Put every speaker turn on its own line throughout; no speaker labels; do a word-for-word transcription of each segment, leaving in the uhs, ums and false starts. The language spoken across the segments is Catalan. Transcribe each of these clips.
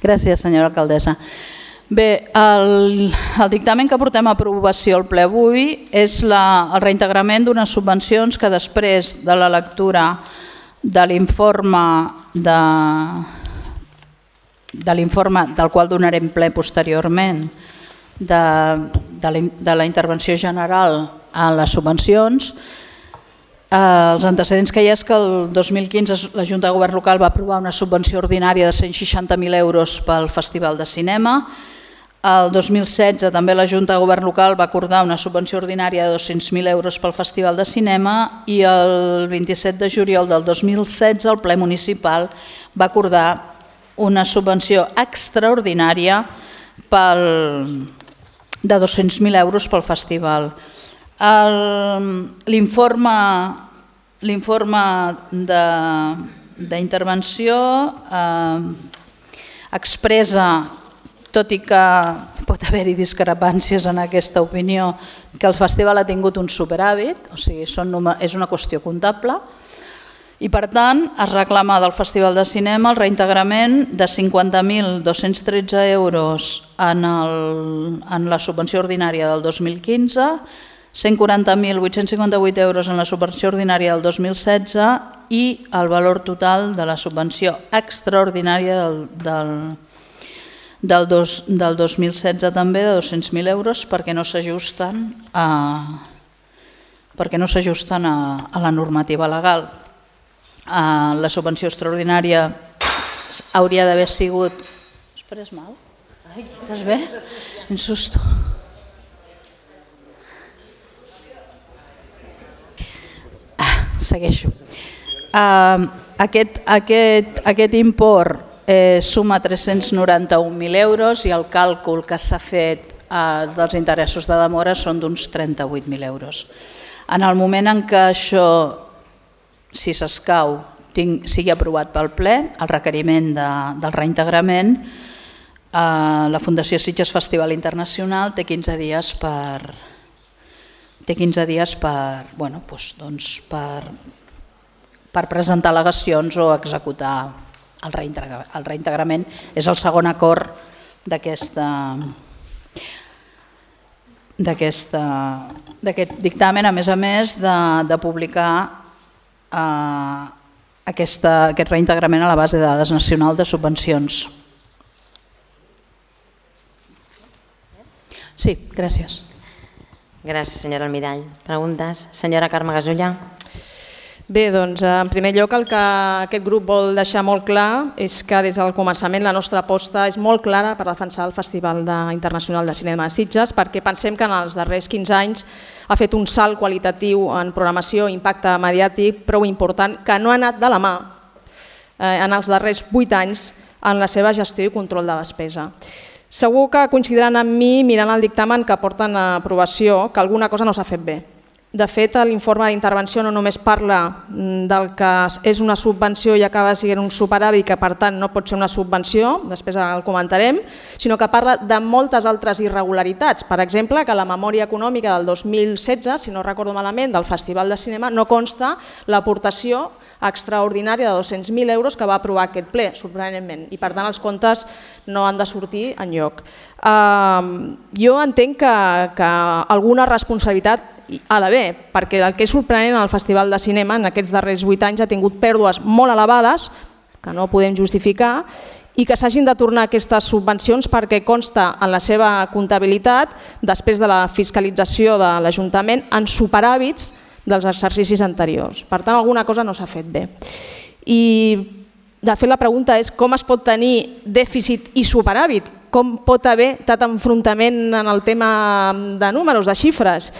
Gràcies, senyora alcaldessa. Bé, el, el dictamen que portem a aprovació al ple avui és la, el reintegrament d'unes subvencions que després de la lectura de l'informe de, de l'informe del qual donarem ple posteriorment de, de, la, de la intervenció general a les subvencions. Eh, els antecedents que hi ha és que el dos mil quinze la Junta de Govern Local va aprovar una subvenció ordinària de cent seixanta mil euros pel Festival de Cinema. El dos mil setze també la Junta de Govern Local va acordar una subvenció ordinària de dos-cents mil euros pel Festival de Cinema i el vint-i-set de juliol del dos mil setze el ple municipal va acordar una subvenció extraordinària pel, de dos-cents mil euros pel festival. L'informe l'informe d'intervenció eh, expressa, tot i que pot haver-hi discrepàncies en aquesta opinió, que el festival ha tingut un superàvit, o sigui, són, és una qüestió comptable, i per tant es reclama del Festival de Cinema el reintegrament de cinquanta mil dos-cents tretze euros en, el, en la subvenció ordinària del dos mil quinze, cent quaranta mil vuit-cents cinquanta-vuit euros en la subvenció ordinària del dos mil setze i el valor total de la subvenció extraordinària del, del Del, dos, del dos mil setze també de dos-cents mil euros perquè no s'ajusten a, perquè no s'ajusten a, a la normativa legal. A la subvenció extraordinària hauria d'haver sigut... Esperes mal? Estàs bé? Un susto. Ah, segueixo. Uh, aquest, aquest, aquest import Eh, suma tres-cents noranta-un mil euros i el càlcul que s'ha fet eh, dels interessos de demora són d'uns trenta-vuit mil euros. En el moment en què això, si s'escau, sigui aprovat pel ple, el requeriment de, del reintegrament, eh, la Fundació Sitges Festival Internacional té quinze dies per, té quinze dies per, bueno, doncs, doncs per, per presentar al·legacions o executar el reintegrament. És el segon acord d'aquest dictamen, a més a més de, de publicar eh, aquesta, aquest reintegrament a la base de dades nacional de subvencions. Sí, gràcies.
Gràcies, senyora Almirall. Preguntes? Senyora Carme Gasulla.
Bé, doncs, en primer lloc el que aquest grup vol deixar molt clar és que des del començament la nostra aposta és molt clara per defensar el Festival Internacional de Cinema de Sitges perquè pensem que en els darrers quinze anys ha fet un salt qualitatiu en programació, impacte mediàtic prou important que no ha anat de la mà en els darrers vuit anys en la seva gestió i control de despesa. Segur que coincidiran amb mi mirant el dictamen que porten a aprovació que alguna cosa no s'ha fet bé. De fet, l'informe d'intervenció no només parla del que és una subvenció i acaba sent un superàvit que per tant no pot ser una subvenció, després el comentarem, sinó que parla de moltes altres irregularitats. Per exemple, que la memòria econòmica del dos mil setze, si no recordo malament, del Festival de Cinema, no consta l'aportació extraordinària de dos-cents mil euros que va aprovar aquest ple, sorprenentment, i per tant els comptes no han de sortir enlloc. Uh, jo entenc que, que alguna responsabilitat ha d'haver, perquè el que és sorprenent al Festival de Cinema en aquests darrers vuit anys ha tingut pèrdues molt elevades, que no podem justificar, i que s'hagin de tornar aquestes subvencions perquè consta en la seva comptabilitat, després de la fiscalització de l'Ajuntament, en superàvits dels exercicis anteriors. Per tant, alguna cosa no s'ha fet bé. I, de fet, la pregunta és com es pot tenir dèficit i superàvit? Com pot haver tant enfrontament en el tema de números, de xifres?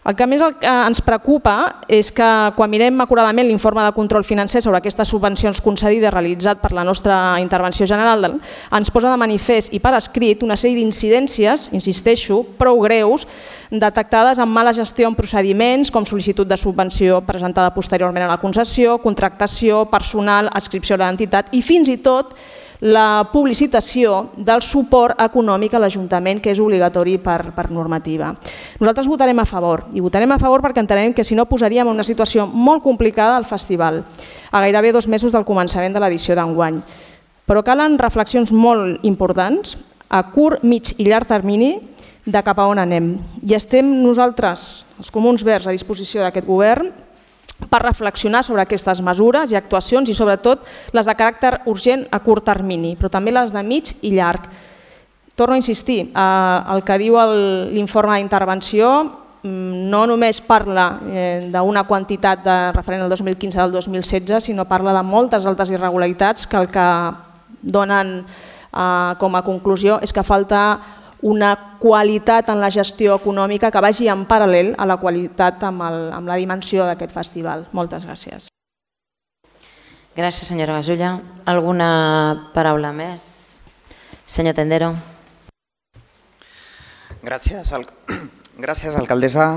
El que més ens preocupa és que quan mirem acuradament l'informe de control financer sobre aquestes subvencions concedides realitzat per la nostra intervenció general, ens posa de manifest i per escrit una sèrie d'incidències, insisteixo, prou greus, detectades amb mala gestió en procediments com sol·licitud de subvenció presentada posteriorment a la concessió, contractació, personal, adscripció a l'entitat i fins i tot la publicitació del suport econòmic a l'Ajuntament, que és obligatori per, per normativa. Nosaltres votarem a favor, i votarem a favor perquè entenem que si no posaríem en una situació molt complicada al festival, a gairebé dos mesos del començament de l'edició d'enguany. Però calen reflexions molt importants a curt, mig i llarg termini de cap a on anem. I estem nosaltres, els Comuns Verds, a disposició d'aquest govern per reflexionar sobre aquestes mesures i actuacions i sobretot les de caràcter urgent a curt termini, però també les de mig i llarg. Torno a insistir, el que diu l'informe d'intervenció no només parla d'una quantitat de referent al dos mil quinze del dos mil setze, sinó parla de moltes altres irregularitats que el que donen com a conclusió és que falta una qualitat en la gestió econòmica que vagi en paral·lel a la qualitat amb la dimensió d'aquest festival. Moltes gràcies.
Gràcies, senyora Gasulla. Alguna paraula més? Senyor Tendero.
Gràcies, gràcies alcaldessa.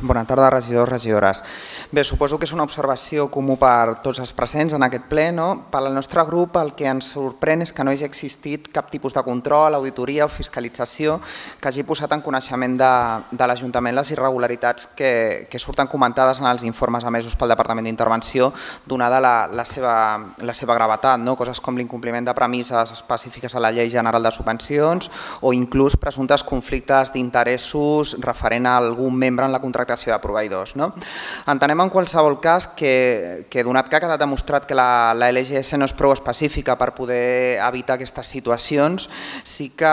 Bona tarda, regidors, regidores. Bé, suposo que és una observació comú per tots els presents en aquest ple. Per al nostre grup el que ens sorprèn és que no hagi existit cap tipus de control, auditoria o fiscalització que hagi posat en coneixement de l'Ajuntament les irregularitats que surten comentades en els informes emesos pel Departament d'Intervenció, donada la seva gravetat, coses com l'incompliment de premisses específiques a la Llei General de Subvencions o inclús presumptes conflictes d'interessos referent a algun membre en la contractació de proveïdors. Entenem en qualsevol cas que, donat que ha quedat demostrat que la L G S no és prou específica per poder evitar aquestes situacions, sí que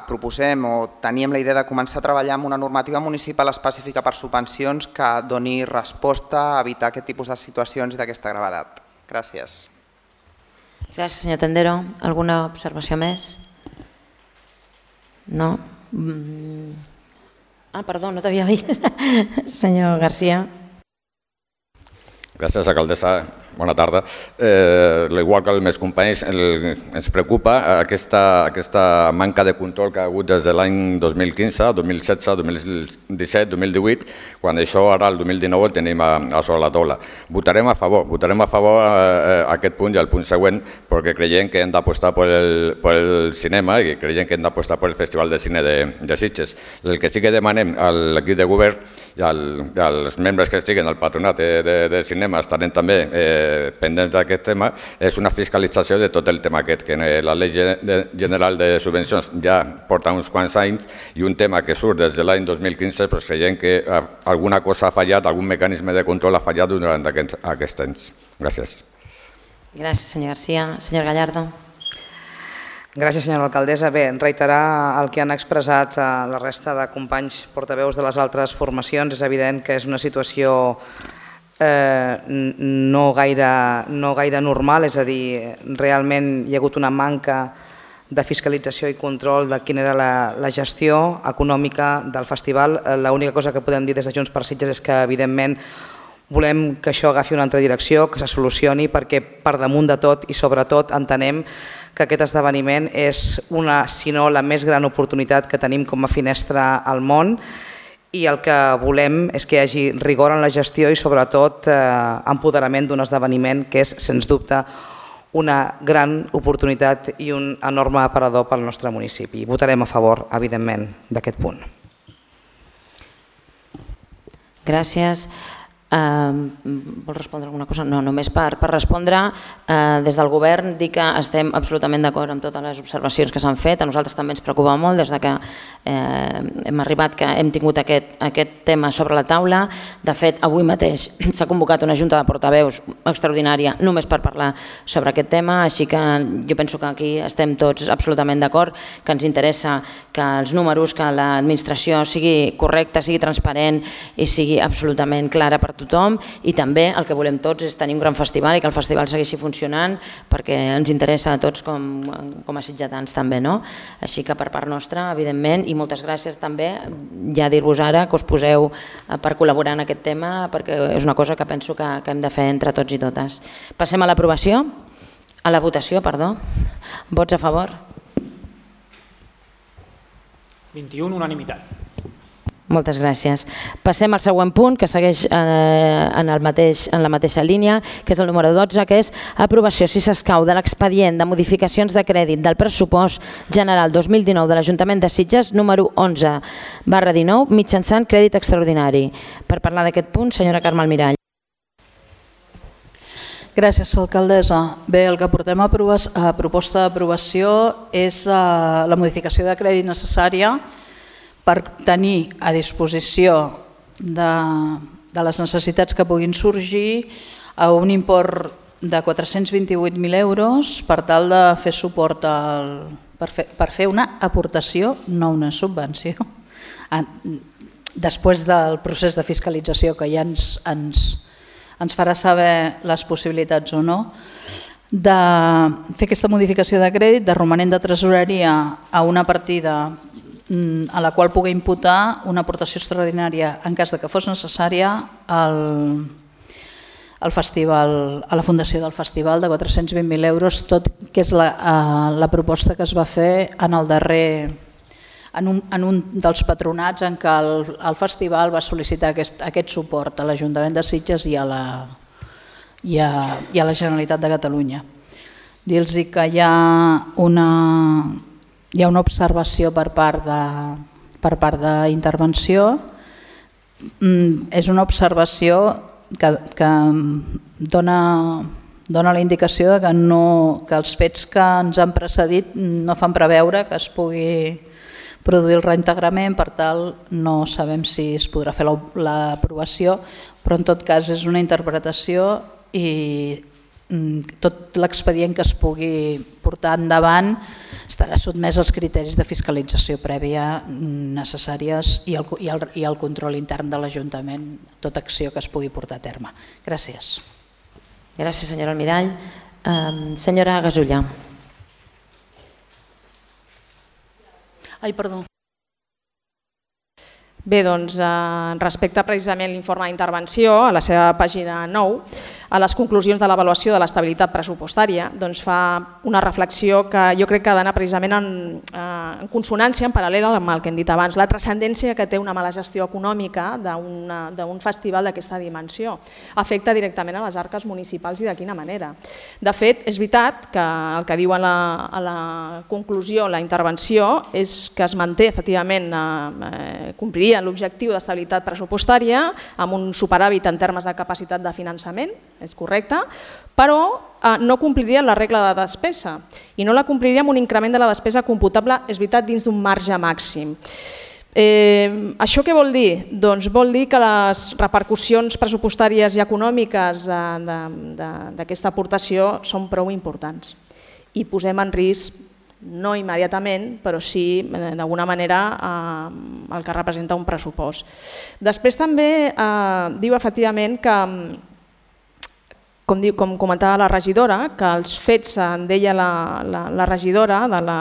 proposem o teníem la idea de començar a treballar amb una normativa municipal específica per subvencions que doni resposta a evitar aquest tipus de situacions i d'aquesta gravetat. Gràcies.
Gràcies, senyor Tendero. Alguna observació més? No? Ah, perdó, no t'havia vist. Senyor García.
Gràcies, alcaldessa. Bona tarda. Igual que els meus companys, ens preocupa aquesta manca de control que ha hagut des de l'any dos mil quinze, dos mil setze, dos mil disset, dos mil divuit, quan això ara el dos mil dinou el tenim a sobre la taula. Votarem a favor, votarem a favor aquest punt i el punt següent perquè creiem que hem d'apostar pel cinema i creiem que hem d'apostar pel Festival de Cine de Sitges. El que sí que demanem a l'equip de govern i als membres que estiguen al patronat de cinema estarem també pendents d'aquest tema, és una fiscalització de tot el tema aquest, que la Llei General de Subvencions ja porta uns quants anys i un tema que surt des de l'any dos mil quinze, però creiem que alguna cosa ha fallat, algun mecanisme de control ha fallat durant aquests anys. Gràcies.
Gràcies, senyor García. Senyor Gallardo.
Gràcies, senyora alcaldessa. Bé, reiterar el que han expressat la resta de companys portaveus de les altres formacions. És evident que és una situació no gaire normal, és a dir, realment hi ha hagut una manca de fiscalització i control de quina era la gestió econòmica del festival. L'única cosa que podem dir des de Junts per Sitges és que, evidentment, volem que això agafi una altra direcció, que se solucioni, perquè per damunt de tot i sobretot entenem que aquest esdeveniment és una, si no la més gran oportunitat que tenim com a finestra al món, i el que volem és que hi hagi rigor en la gestió i sobretot empoderament d'un esdeveniment que és, sens dubte, una gran oportunitat i un enorme aparador pel nostre municipi. Votarem a favor, evidentment, d'aquest punt.
Gràcies. Vol respondre alguna cosa? No, només per respondre. Des del govern dir que estem absolutament d'acord amb totes les observacions que s'han fet. A nosaltres també ens preocupa molt des que hem arribat que hem tingut aquest tema sobre la taula. De fet, avui mateix s'ha convocat una junta de portaveus extraordinària només per parlar sobre aquest tema, així que jo penso que aquí estem tots absolutament d'acord, que ens interessa que els números, que l'administració sigui correcta, sigui transparent i sigui absolutament clara per tothom, i també el que volem tots és tenir un gran festival i que el festival segueixi funcionant perquè ens interessa a tots com a sitgetans també. Així que per part nostra, evidentment, i moltes gràcies també, ja dir-vos ara que us poseu per col·laborar en aquest tema perquè és una cosa que penso que hem de fer entre tots i totes. Passem a l'aprovació, a la votació, perdó. Vots a favor?
vint-i-un, unanimitat.
Moltes gràcies. Passem al següent punt, que segueix en la mateixa línia, que és el número dotze, que és aprovació, si s'escau, de l'expedient de modificacions de crèdit del pressupost general dos mil dinou de l'Ajuntament de Sitges, número onze barra dinou, mitjançant crèdit extraordinari. Per parlar d'aquest punt, senyora Carme Almirall.
Gràcies, alcaldessa. Bé, el que portem a, a proposta d'aprovació és uh, la modificació de crèdit necessària per tenir a disposició de, de les necessitats que puguin sorgir a un import de quatre-cents vint-i-vuit mil euros per tal de fer suport al, per, fer, per fer una aportació, no una subvenció, després del procés de fiscalització que ja ens, ens ens farà saber les possibilitats o no, de fer aquesta modificació de crèdit de romanent de tresoreria a una partida a la qual pugui imputar una aportació extraordinària en cas de que fos necessària al, al festival, a la fundació del festival de quatre-cents vint mil euros, tot que és la, la proposta que es va fer en el darrer En un, en un dels patronats en què el, el festival va sol·licitar aquest, aquest suport a l'Ajuntament de Sitges i a, la, i, a, i a la Generalitat de Catalunya. Dir-los que hi ha una, hi ha una observació per part de, per part d'intervenció. És una observació que, que dona, dona la indicació que, no, que els fets que ens han precedit no fan preveure que es pugui produir el reintegrament, per tal no sabem si es podrà fer l'aprovació, però en tot cas és una interpretació i tot l'expedient que es pugui portar endavant estarà sotmès als criteris de fiscalització prèvia necessàries i el, i el, i el control intern de l'Ajuntament, tota acció que es pugui portar a terme. Gràcies.
Gràcies, senyora Almirall. Um, senyora Gasulla.
Ai, perdó.
Bé, doncs, respecte precisament a l'informe d'intervenció, a la seva pàgina nou, a les conclusions de l'avaluació de l'estabilitat pressupostària, doncs fa una reflexió que jo crec que ha d'anar precisament en, en consonància, en paral·lel amb el que hem dit abans, la transcendència que té una mala gestió econòmica d'un festival d'aquesta dimensió. Afecta directament a les arques municipals i de quina manera. De fet, és veritat que el que diu a la, a la conclusió, la intervenció, és que es manté, efectivament, eh, compliria l'objectiu d'estabilitat pressupostària amb un superàvit en termes de capacitat de finançament, és correcte, però eh, no compliria la regla de despesa i no la compliria amb un increment de la despesa computable, és veritat, dins d'un marge màxim. Eh, això què vol dir? Doncs vol dir que les repercussions pressupostàries i econòmiques d'aquesta aportació són prou importants i posem en risc, no immediatament, però sí d'alguna manera eh, el que representa un pressupost. Després també eh, diu efectivament que, com, diu, com comentava la regidora, que els fets, en deia la, la, la regidora, de la,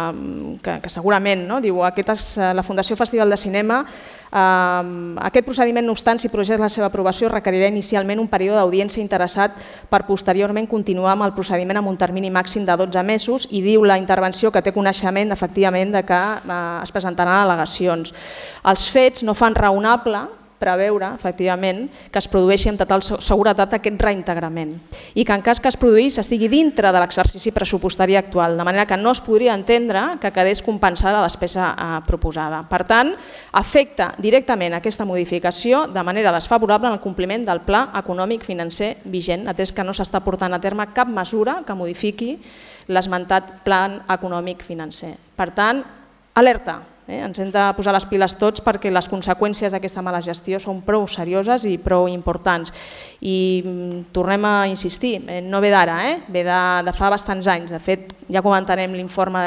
que, que segurament, no? Diu, aquest és, la Fundació Festival de Cinema, eh, aquest procediment, no obstant, si procés la seva aprovació, requerirà inicialment un període d'audiència interessat per posteriorment continuar amb el procediment amb un termini màxim de dotze mesos i diu la intervenció que té coneixement efectivament de que eh, es presentaran al·legacions. Els fets no fan raonable preveure, efectivament, que es produeixi amb total seguretat aquest reintegrament i que en cas que es produís estigui dintre de l'exercici pressupostari actual, de manera que no es podria entendre que quedés compensada la despesa eh, proposada. Per tant, afecta directament aquesta modificació de manera desfavorable en el compliment del pla econòmic financer vigent, atès que no s'està portant a terme cap mesura que modifiqui l'esmentat pla econòmic financer. Per tant, alerta. Eh? Ens hem de posar les piles tots perquè les conseqüències d'aquesta mala gestió són prou serioses i prou importants. I tornem a insistir, eh, no ve d'ara, eh? Ve de, de fa bastants anys. De fet, ja comentarem l'informe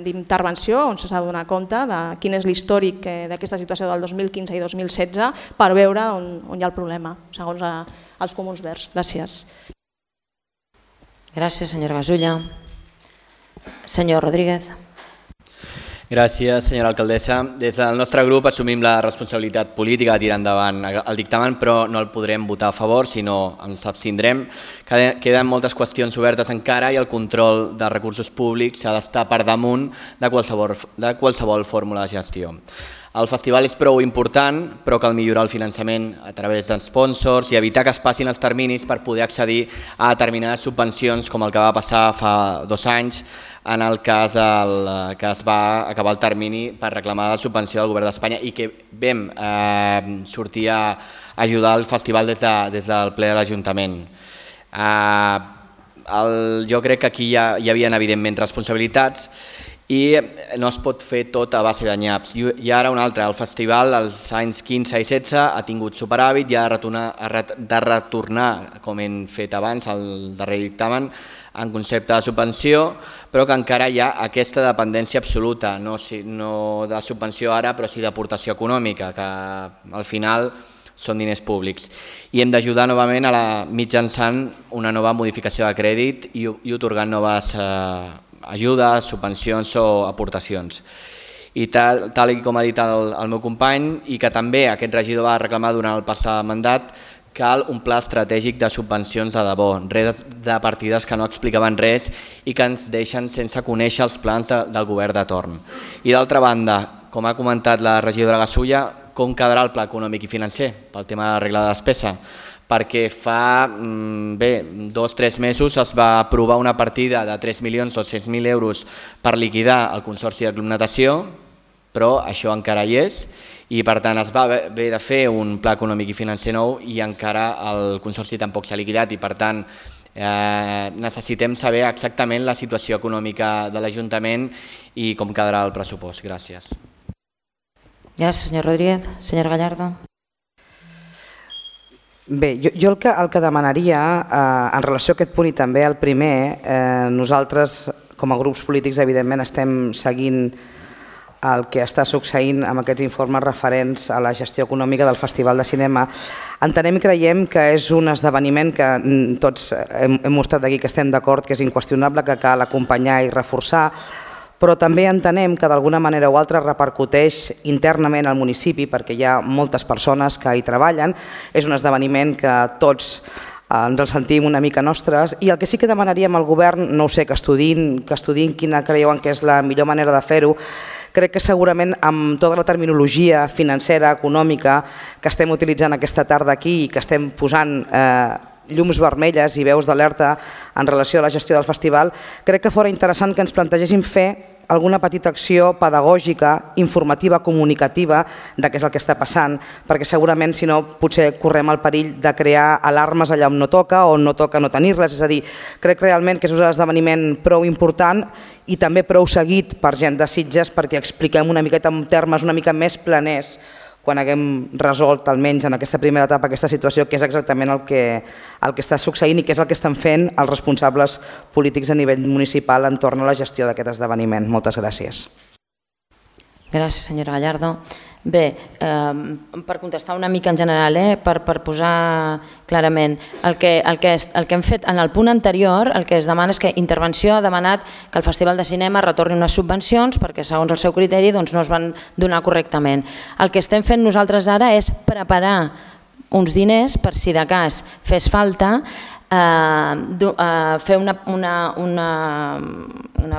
d'intervenció on s'ha de donar compte de quin és l'històric d'aquesta situació del dos mil quinze i dos mil setze per veure on, on hi ha el problema, segons a, els Comuns Verds. Gràcies.
Gràcies, senyora Gasulla. Senyor Rodríguez.
Gràcies, senyora alcaldessa. Des del nostre grup assumim la responsabilitat política de tirar endavant el dictamen, però no el podrem votar a favor, sinó ens abstindrem. Queden moltes qüestions obertes encara i el control dels recursos públics ha d'estar per damunt de qualsevol, de qualsevol fórmula de gestió. El festival és prou important, però cal millorar el finançament a través dels sponsors i evitar que es passin els terminis per poder accedir a determinades subvencions, com el que va passar fa dos anys, en el cas el, que es va acabar el termini per reclamar la subvenció del govern d'Espanya i que vam eh, sortir a ajudar el festival des, de, des del ple de l'Ajuntament. Jo crec que aquí hi havia evidentment responsabilitats i no es pot fer tot a base de nyaps. I ara un altre, el festival als anys quinze i setze ha tingut superàvit i ha de retornar, com hem fet abans, al darrer dictamen, en concepte de subvenció, però que encara hi ha aquesta dependència absoluta, no de subvenció ara, però sí d'aportació econòmica, que al final són diners públics. I hem d'ajudar novament mitjançant una nova modificació de crèdit i atorgant noves ajudes, subvencions o aportacions. I tal com ha dit el meu company, i que també aquest regidor va reclamar durant el passat mandat, cal un pla estratègic de subvencions de debò, res de partides que no explicaven res i que ens deixen sense conèixer els plans del govern de torn. I d'altra banda, com ha comentat la regidora Gasulla, com quedarà el pla econòmic i financer pel tema de la regla de despesa? Perquè fa dos o tres mesos es va aprovar una partida de tres milions dos-cents mil euros per liquidar el Consorci de Club Natació, però això encara hi és, i per tant es va haver de fer un pla econòmic i financer nou i encara el Consorci tampoc s'ha liquidat i per tant necessitem saber exactament la situació econòmica de l'Ajuntament i com quedarà el pressupost. Gràcies.
Gràcies, senyor Rodríguez. Senyor Gallardo.
Bé, jo el que demanaria en relació a aquest punt i també al primer, nosaltres com a grups polítics evidentment estem seguint el que està succeint amb aquests informes referents a la gestió econòmica del Festival de Cinema. Entenem i creiem que és un esdeveniment que tots hem mostrat aquí que estem d'acord, que és inqüestionable, que cal acompanyar i reforçar, però també entenem que d'alguna manera o altra repercuteix internament al municipi perquè hi ha moltes persones que hi treballen. És un esdeveniment que tots ens el sentim una mica nostres i el que sí que demanaríem al govern, no ho sé, que estudiïn, que estudiïn quina creuen que és la millor manera de fer-ho. Crec que segurament amb tota la terminologia financera, econòmica que estem utilitzant aquesta tarda aquí i que estem posant llums vermelles i veus d'alerta en relació a la gestió del festival, crec que fora interessant que ens plantegéssim fer alguna petita acció pedagògica, informativa, comunicativa de què és el que està passant, perquè segurament si no potser correm el perill de crear alarmes allà on no toca o no toca no tenir-les. És a dir, crec realment que és un esdeveniment prou important i també prou seguit per gent de Sitges perquè expliquem una miqueta en termes una mica més planers quan haguem resolt almenys en aquesta primera etapa aquesta situació, que és exactament el que està succeint i que és el que estan fent els responsables polítics a nivell municipal entorn a la gestió d'aquest esdeveniment. Moltes gràcies.
Gràcies, senyora Gallardo. Bé, per contestar una mica en general, per posar clarament, el que hem fet en el punt anterior, el que es demana és que Intervenció ha demanat que el Festival de Cinema retorni unes subvencions perquè segons el seu criteri no es van donar correctament. El que estem fent nosaltres ara és preparar uns diners per si de cas fes falta fer una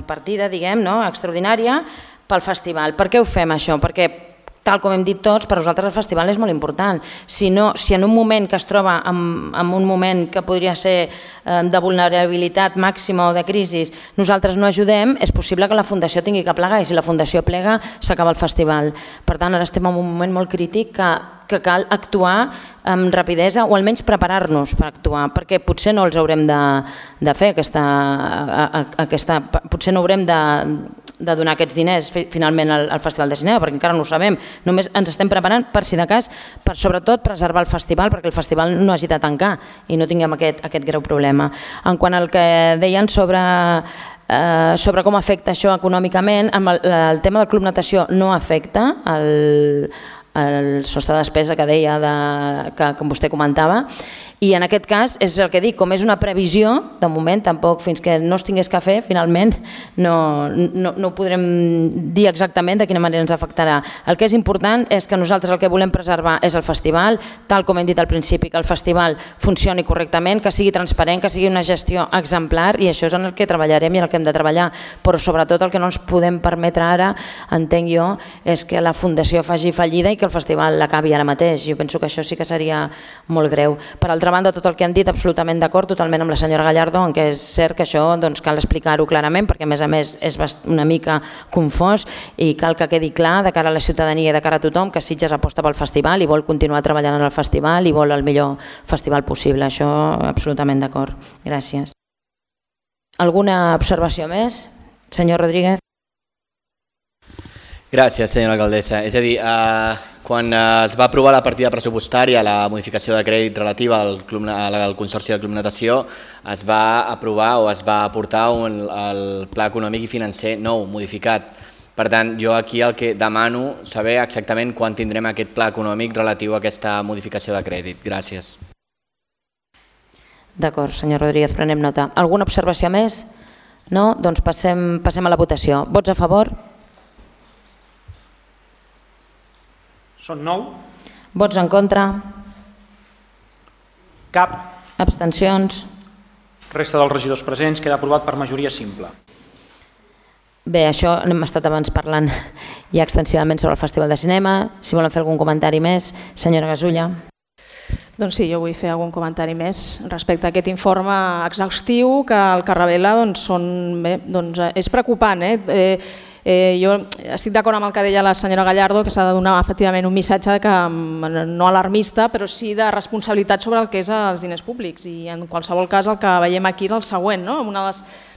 partida extraordinària pel festival. Per què ho fem això? Perquè tal com hem dit tots, per nosaltres el festival és molt important. Si en un moment que es troba en un moment que podria ser de vulnerabilitat màxima o de crisi, nosaltres no ajudem, és possible que la Fundació tingui que plegar i si la Fundació plega s'acaba el festival. Per tant, ara estem en un moment molt crític que cal actuar amb rapidesa o almenys preparar-nos per actuar, perquè potser no els haurem de fer aquesta... potser no haurem de de donar aquests diners finalment al Festival de Cinema, perquè encara no ho sabem. Només ens estem preparant per si de cas, per sobretot preservar el festival, perquè el festival no hagi de tancar i no tinguem aquest greu problema. En quant al que deien sobre sobre com afecta això econòmicament, el tema del Club Natació no afecta el sostre de despesa que deia, que vostè comentava, i en aquest cas és el que dic, com és una previsió, de moment tampoc fins que no es tingués que fer, finalment no ho podrem dir exactament de quina manera ens afectarà. El que és important és que nosaltres el que volem preservar és el festival, tal com hem dit al principi, que el festival funcioni correctament, que sigui transparent, que sigui una gestió exemplar i això és en el que treballarem i en el que hem de treballar, però sobretot el que no ens podem permetre ara, entenc jo, és que la Fundació faci fallida i que el festival l'acabi ara mateix. Jo penso que això sí que seria molt greu. Per altra altra banda, tot el que han dit, absolutament d'acord, totalment amb la senyora Gallardo, en què és cert que això cal explicar-ho clarament, perquè a més a més és una mica confós i cal que quedi clar de cara a la ciutadania i de cara a tothom que Sitges aposta pel festival i vol continuar treballant en el festival i vol el millor festival possible. Això absolutament d'acord. Gràcies. Alguna observació més? Senyor Rodríguez.
Gràcies, senyora alcaldessa. És a dir, quan es va aprovar la partida pressupostària, la modificació de crèdit relativa al Consorci del Club Natació, es va aprovar o es va aportar el pla econòmic i financer nou, modificat. Per tant, jo aquí el que demano saber exactament quan tindrem aquest pla econòmic relatiu a aquesta modificació de crèdit. Gràcies.
D'acord, senyor Rodríguez, prenem nota. Alguna observació més? No? Doncs passem a la votació. Vots a favor?
Són nou.
Vots en contra?
Cap.
Abstencions?
Resta dels regidors presents queda aprovat per majoria simple.
Bé, això hem estat abans parlant ja extensivament sobre el Festival de Cinema. Si volen fer algun comentari més, senyora Gasulla.
Doncs sí, jo vull fer algun comentari més respecte a aquest informe exhaustiu que el que revela és preocupant. Jo estic d'acord amb el que deia la senyora Gallardo, que s'ha de donar efectivament un missatge no alarmista, però sí de responsabilitat sobre el que és els diners públics. I en qualsevol cas el que veiem aquí és el següent. Un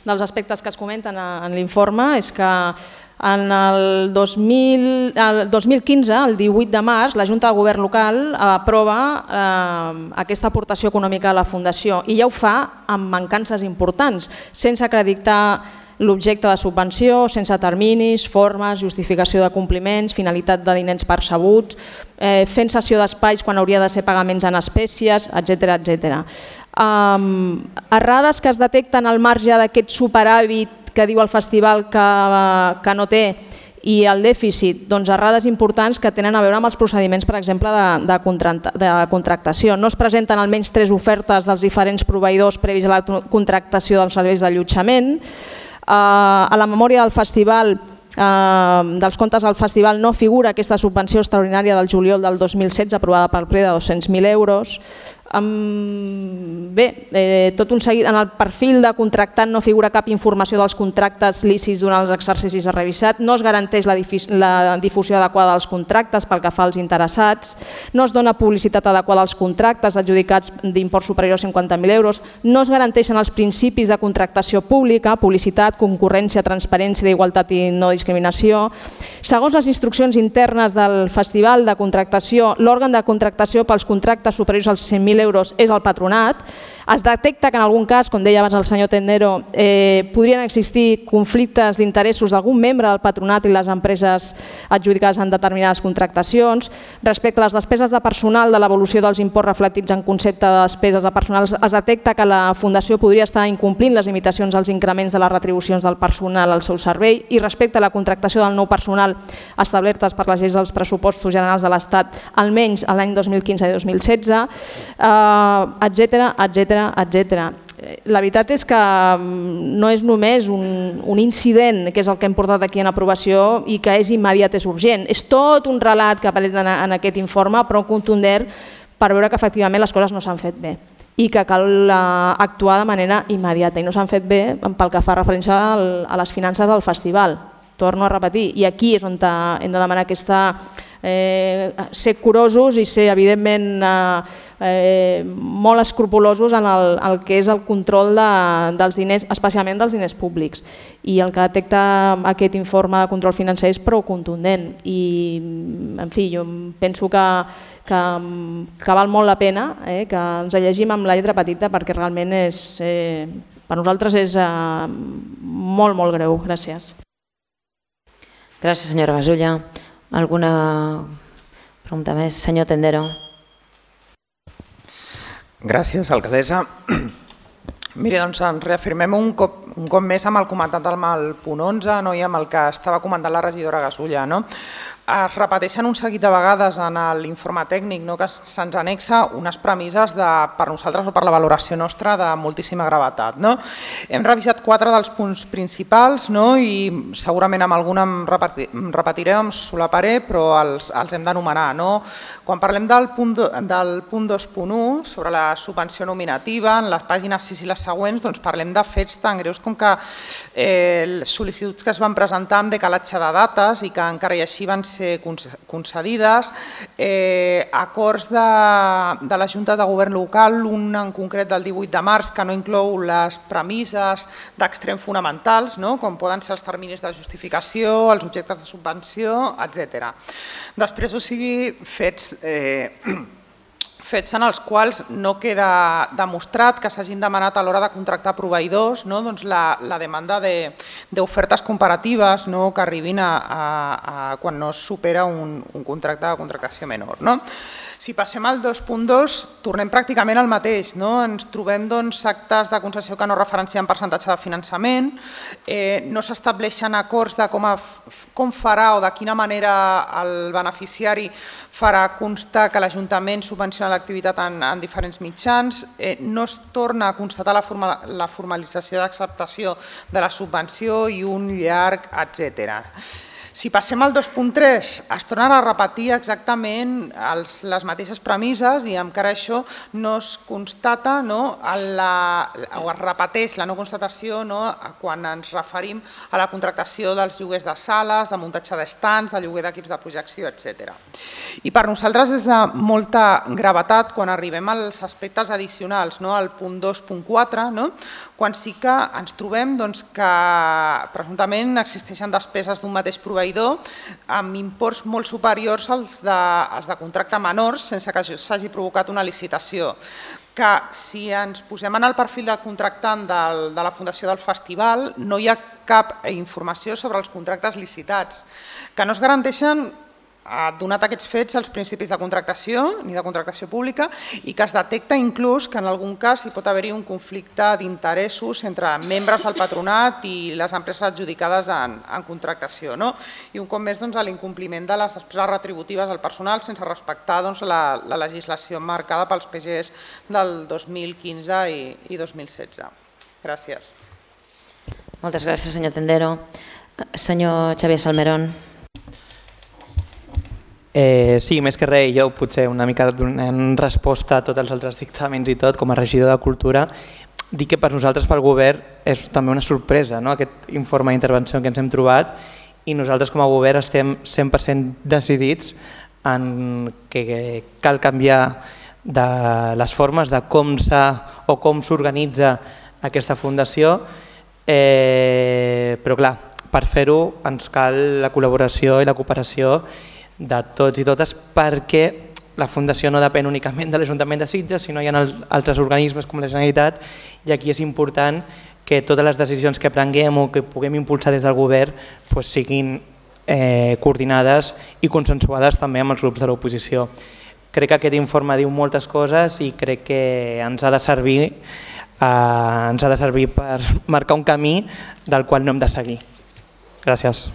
dels aspectes que es comenten en l'informe és que en el dos mil quinze, el divuit de març, la Junta de Govern local aprova aquesta aportació econòmica a la Fundació i ja ho fa amb mancances importants, sense acreditar l'objecte de subvenció, sense terminis, formes, justificació de compliments, finalitat de diners percebuts, fent cessió d'espais quan hauria de ser pagaments en espècies, etcètera, etcètera. Errades que es detecten al marge d'aquest superàvit que diu el festival que no té i el dèficit, doncs errades importants que tenen a veure amb els procediments, per exemple, de contractació. No es presenten almenys tres ofertes dels diferents proveïdors previs a la contractació dels serveis d'allotjament. A la memòria del festival, dels comptes del festival, no figura aquesta subvenció extraordinària del juliol del dos mil setze aprovada pel ple de dos-cents mil euros. Bé, tot un seguit, en el perfil de contractant no figura cap informació dels contractes lícits durant els exercicis a revisat, no es garanteix la difusió adequada dels contractes pel que fa als interessats, no es dona publicitat adequada als contractes adjudicats d'import superior a cinquanta mil euros, no es garanteixen els principis de contractació pública, publicitat, concurrència, transparència, d'igualtat i no discriminació. Segons les instruccions internes del festival de contractació, l'òrgan de contractació pels contractes superiors als cent mil euros és el patronat. Es detecta que en algun cas, com deia abans el senyor Tendero, podrien existir conflictes d'interessos d'algun membre del patronat i les empreses adjudicades en determinades contractacions. Respecte a les despeses de personal de l'evolució dels imports reflectits en concepte de despeses de personal, es detecta que la Fundació podria estar incomplint les limitacions als increments de les retribucions del personal al seu servei i respecte a la contractació del nou personal establertes per les lleis dels pressupostos generals de l'Estat, almenys l'any dos mil quinze i dos mil setze, etcètera, etcètera, etcètera. La veritat és que no és només un incident, que és el que hem portat aquí en aprovació i que és immediat, és urgent. És tot un relat que apareix en aquest informe, però contundent per veure que efectivament les coses no s'han fet bé i que cal actuar de manera immediata i no s'han fet bé pel que fa referència a les finances del festival. Torno a repetir, i aquí és on hem de demanar aquesta ser curosos i ser evidentment molt escrupulosos en el que és el control dels diners, especialment dels diners públics. I el que detecta aquest informe de control financer és prou contundent i, en fi, jo penso que que val molt la pena que ens llegim amb la lletra petita perquè realment per nosaltres és molt, molt greu. Gràcies.
Gràcies, senyora Gasulla. Alguna pregunta més? Senyor Tendero.
Gràcies, alcaldessa. Miri, doncs ens reafirmem un cop, un cop més amb el comentat amb el punt onze i amb el que estava comentant la regidora Gasulla. Es repeteixen un seguit de vegades en l'informe tècnic que se'ns anexa unes premisses per nosaltres o per la valoració nostra de moltíssima gravetat. Hem revisat quatre dels punts principals i segurament amb alguna em repetiré, em solaparé, però els hem d'anomenar. Quan parlem del punt dos punt u sobre la subvenció nominativa, en les pàgines sis i les següents parlem de fets tan greus com que sol·licituds que es van presentar amb decalatge de dates i que encara i així van ser concedides, acords de la Junta de Govern local, un en concret del divuit de març que no inclou les premisses d'extrem fonamentals, com poden ser els terminis de justificació, els objectes de subvenció, etcètera. Després, o sigui, fets fets en els quals no queda demostrat que s'hagin demanat a l'hora de contractar proveïdors la demanda d'ofertes comparatives que arribin quan no es supera un contracte de contractació menor. Si passem al dos punt dos, tornem pràcticament al mateix. Ens trobem actes de concessió que no referencien percentatge de finançament, no s'estableixen acords de com farà o de quina manera el beneficiari farà constar que l'Ajuntament subvenciona l'activitat en diferents mitjans, no es torna a constatar la formalització d'acceptació de la subvenció i un llarg etcètera. Si passem al dos punt tres, es tornen a repetir exactament les mateixes premisses i encara això no es constata o es repeteix la no constatació quan ens referim a la contractació dels lloguers de sales, de muntatge d'estants, de lloguer d'equips de projecció, etcètera. I per nosaltres és de molta gravetat quan arribem als aspectes addicionals, al punt dos punt quatre, quan sí que ens trobem que presumptament existeixen despeses d'un mateix proveïdor amb imports molt superiors als de contracte menors sense que s'hagi provocat una licitació. Que si ens posem en el perfil de contractant de la Fundació del Festival no hi ha cap informació sobre els contractes licitats, que no es garanteixen donat aquests fets els principis de contractació ni de contractació pública i que es detecta inclús que en algun cas hi pot haver-hi un conflicte d'interessos entre membres del patronat i les empreses adjudicades en contractació. I un cop més l'incompliment de les despeses retributives al personal sense respectar la legislació marcada pels P Gs del dos mil quinze i dos mil setze. Gràcies.
Moltes gràcies, senyor Tendero. Senyor Xavier Salmerón.
Sí, més que res, jo potser una mica donant resposta a tots els altres dictàmens i tot, com a regidor de Cultura, dic que per nosaltres, pel govern, és també una sorpresa aquest informe d'intervenció que ens hem trobat i nosaltres com a govern estem cent per cent decidits en que cal canviar de les formes de com s'ha o com s'organitza aquesta fundació, però clar, per fer-ho ens cal la col·laboració i la cooperació de tots i totes perquè la Fundació no depèn únicament de l'Ajuntament de Sitges, sinó hi ha altres organismes com la Generalitat i aquí és important que totes les decisions que prenguem o que puguem impulsar des del govern siguin coordinades i consensuades també amb els grups de l'oposició. Crec que aquest informe diu moltes coses i crec que ens ha de servir, ens ha de servir per marcar un camí del qual no hem de seguir. Gràcies.